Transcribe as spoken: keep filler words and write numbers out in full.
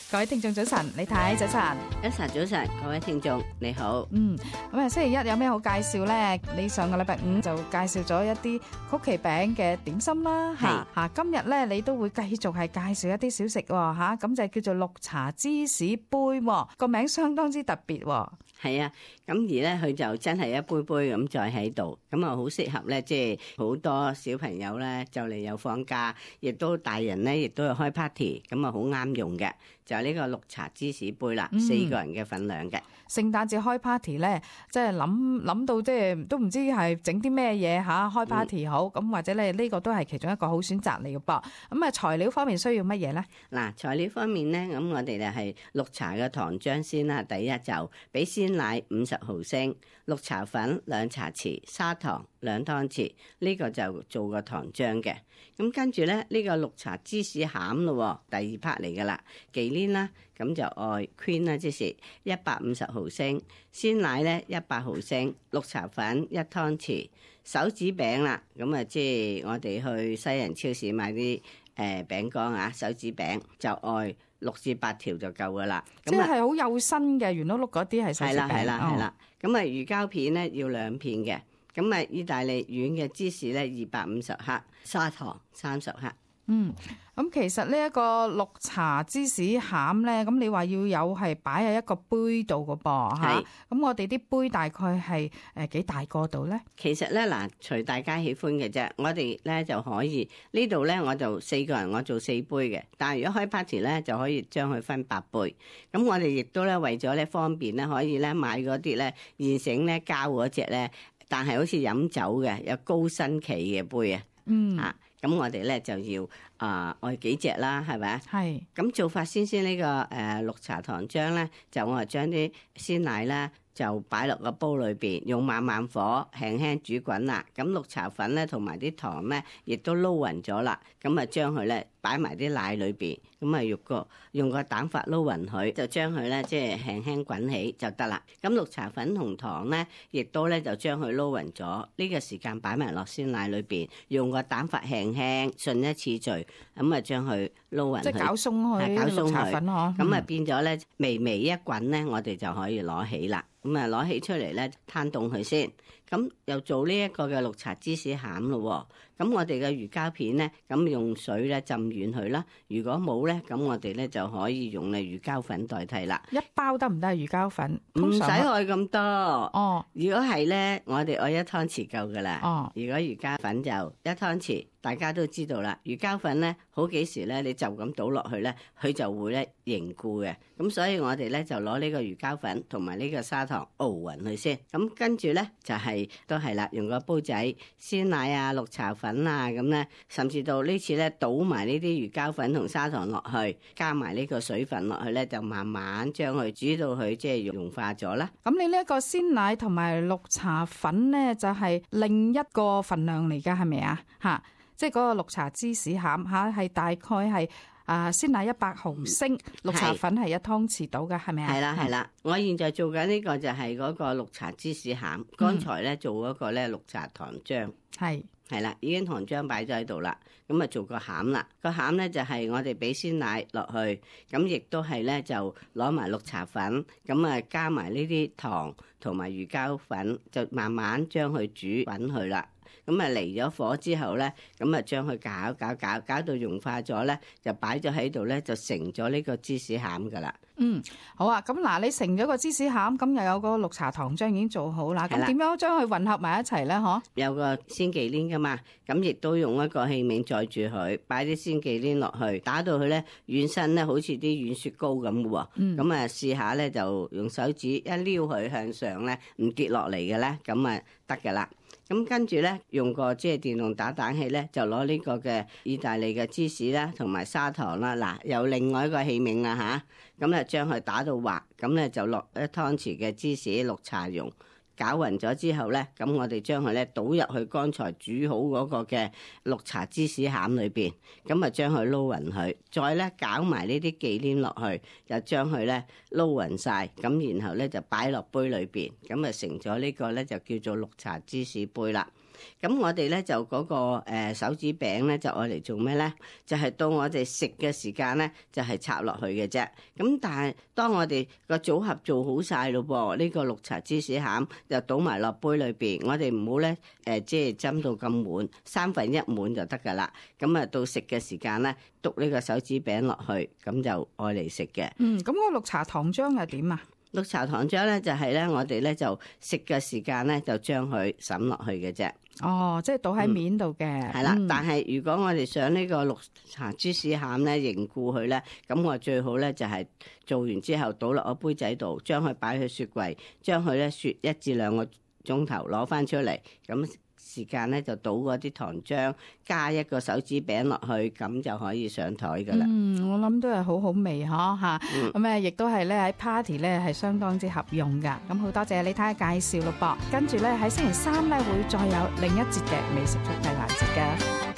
各位聽眾早晨，李太早晨，一晨早晨，各位聽眾你好。嗯，咁啊星期一有咩好介紹咧？你上個禮拜五就介紹咗一啲曲奇餅嘅點心啦，吓吓，今日咧你都會繼續係介紹一啲小食吓，咁就叫做綠茶芝士杯，個名相當之特別。係啊，咁而咧佢就真係一杯杯咁再喺度，咁啊好適合咧，即係好多小朋友咧就嚟有放假，亦都大人咧亦都有開 party，咁啊好啱用嘅，就係呢個綠茶芝士杯啦，嗯、四個人嘅份量嘅。聖誕節開 party 咧，即係諗諗到即係都唔知係整啲咩嘢吓，開 party 好，咁、嗯、或者咧呢個都係其中一個好選擇嚟嘅噃。咁啊材料方面需要乜嘢咧？嗱，材料方面咧，咁我哋就係綠茶嘅糖漿先啦，第一就俾鮮奶五十毫升，綠茶粉兩茶匙，砂糖兩湯匙，呢、這個就做個糖漿嘅。咁跟住咧，呢、這個綠茶芝士餡咯，第二 part 嚟噶啦，忌廉啦，咁就愛 cream 啦，即是一百五十毫升，鮮奶咧一百毫升，綠茶粉一湯匙，手指餅啦，咁啊即係我哋去西人超市買啲誒餅乾啊，手指餅就愛六至八條就夠噶啦，即係好幼身嘅圓碌碌嗰啲係手指餅。係啦係啦係啦，咁啊魚膠片咧要兩片嘅，咁啊意大利軟嘅芝士咧二百五十克，砂糖三十克。嗯，咁其實呢一個綠茶芝士餡咧，咁你話要有係擺喺一個杯度嘅噃吓，咁我哋啲杯大概係誒幾大個度咧？其實咧嗱，隨大家喜歡嘅啫，我哋咧就可以呢度咧，我就四個人我做四杯嘅，但係如果開 party 咧就可以將佢分八杯。咁我哋亦都咧為咗咧方便咧，可以咧買嗰啲咧現成咧膠嗰隻咧，但係好似飲酒嘅有高身企嘅杯啊，嗯啊。咁我哋咧就要啊愛、呃、幾隻啦，係咪？係。咁做法先先呢、這個誒、呃、綠茶糖漿咧，就我係將啲鮮奶咧就擺落個煲裏邊，用慢慢火輕輕煮滾啦。咁綠茶粉咧同埋啲糖咧，亦都撈勻咗啦。咁啊將佢咧擺埋啲奶裏邊，咁啊用個用個蛋法撈勻佢，就將佢咧即係輕輕滾起就得啦。咁綠茶粉同糖咧，亦都咧就將佢撈勻咗。呢、這個時間擺埋落鮮奶裏邊，用個蛋法輕輕順一次序，咁啊將佢撈勻。即係攪鬆佢，攪鬆綠茶粉嗬。咁啊變咗咧微微一滾咧，我哋就可以攞起啦。咁啊攞起出嚟咧，攤凍佢先。咁又做呢一個嘅綠茶芝士餡咯。咁我哋嘅魚膠片咧，咁用水咧浸軟佢啦。如果冇咧，咁我哋咧就可以用咧魚膠粉代替啦。一包得唔得？魚膠粉唔使愛咁多。哦，如果係咧，我哋愛一湯匙夠噶啦。哦，如果魚膠粉就一湯匙。大家都知道啦，魚膠粉咧好幾時咧，你就咁倒落去咧，佢就會咧凝固嘅。咁所以我哋咧就攞呢個魚膠粉同埋呢個砂糖熬勻佢先。咁跟住咧就係、是、都係啦，用個煲仔鮮奶啊、綠茶粉啊咁咧，甚至到呢次咧倒埋呢啲魚膠粉同砂糖落去，加埋呢個水分落去咧，就慢慢將佢煮到佢即係融化咗啦。咁你呢一個鮮奶同埋綠茶粉咧，就係、是、另一個份量嚟噶，係咪啊？吓。即係嗰個綠茶芝士餡吓，係大概係啊鮮奶一百毫升，嗯、綠茶粉係一湯匙到嘅，係咪啊？係啦係啦，我現在做緊呢個就係嗰個綠茶芝士餡，剛才咧做嗰個咧綠茶糖漿，係係啦，已經糖漿擺咗喺度啦，咁啊做個餡啦，個餡咧就係我哋俾鮮奶落去，咁亦都係咧就攞埋綠茶粉，咁啊加埋呢啲糖同埋魚膠粉，就慢慢將佢煮滾佢啦。咁啊離咗火之後咧，咁啊將佢攪攪攪攪到融化咗咧，就擺咗喺度咧，就成咗呢個芝士餡噶啦。嗯，好啊，咁嗱，你成咗個芝士餡，咁又有個綠茶糖漿已經做好啦。咁點樣將佢混合埋一齊咧？嗬，有個鮮忌廉噶嘛，咁亦都用一個器皿載住佢，擺啲鮮忌廉落去，打到佢咧軟身咧，好似啲軟雪糕咁嘅喎。嗯，咁啊試下咧，就用手指一撩佢向上咧，唔跌落嚟嘅咧，咁啊得噶啦。咁跟住咧，用個即係電動打蛋器咧，就攞呢個嘅意大利嘅芝士啦，同埋砂糖啦，嗱，有另外一個器皿啦吓，咁咧將佢打到滑，咁咧就落一湯匙嘅芝士綠茶蓉。攪勻咗之後咧，咁我哋將佢咧倒入去剛才煮好嗰個嘅綠茶芝士餡裏邊，咁啊將佢撈勻佢，再咧攪埋呢啲忌廉落去，就將佢咧撈勻晒，咁然後咧就擺落杯裏邊，咁啊成咗呢個咧就叫做綠茶芝士杯啦。咁我哋咧就嗰、那個誒、呃、手指餅咧就愛嚟做咩咧？就係、是、到我哋食嘅時間咧，就係、是、插落去嘅啫。咁但係當我哋個組合做好晒咯噃，呢、這個綠茶芝士餡就倒埋落杯裏邊，我哋唔好咧誒，即係斟到咁滿，三分一滿就得噶啦。咁啊到食嘅時間咧，篤呢個手指餅落去，咁就愛嚟食嘅。嗯，咁個綠茶糖漿係點啊？綠茶糖漿咧就係咧，我哋咧就食嘅時間咧就將佢滲落去嘅啫。哦，即係倒喺面度嘅。係啦、嗯，但係如果我哋想呢個綠茶芝士餡咧凝固佢咧，咁我最好咧就係做完之後倒落個杯仔度，將佢擺去雪櫃，將佢咧雪一至兩個鐘頭攞翻出嚟，咁時間咧就倒嗰啲糖漿，加一個手指餅落去，咁就可以上台噶啦。嗯，我諗都係好好味嗬吓，咁誒亦都係咧喺 party 咧係相當之合用噶。咁好多謝你睇下介紹咯噃，跟住咧喺星期三咧會再有另一節嘅美食速遞環節噶。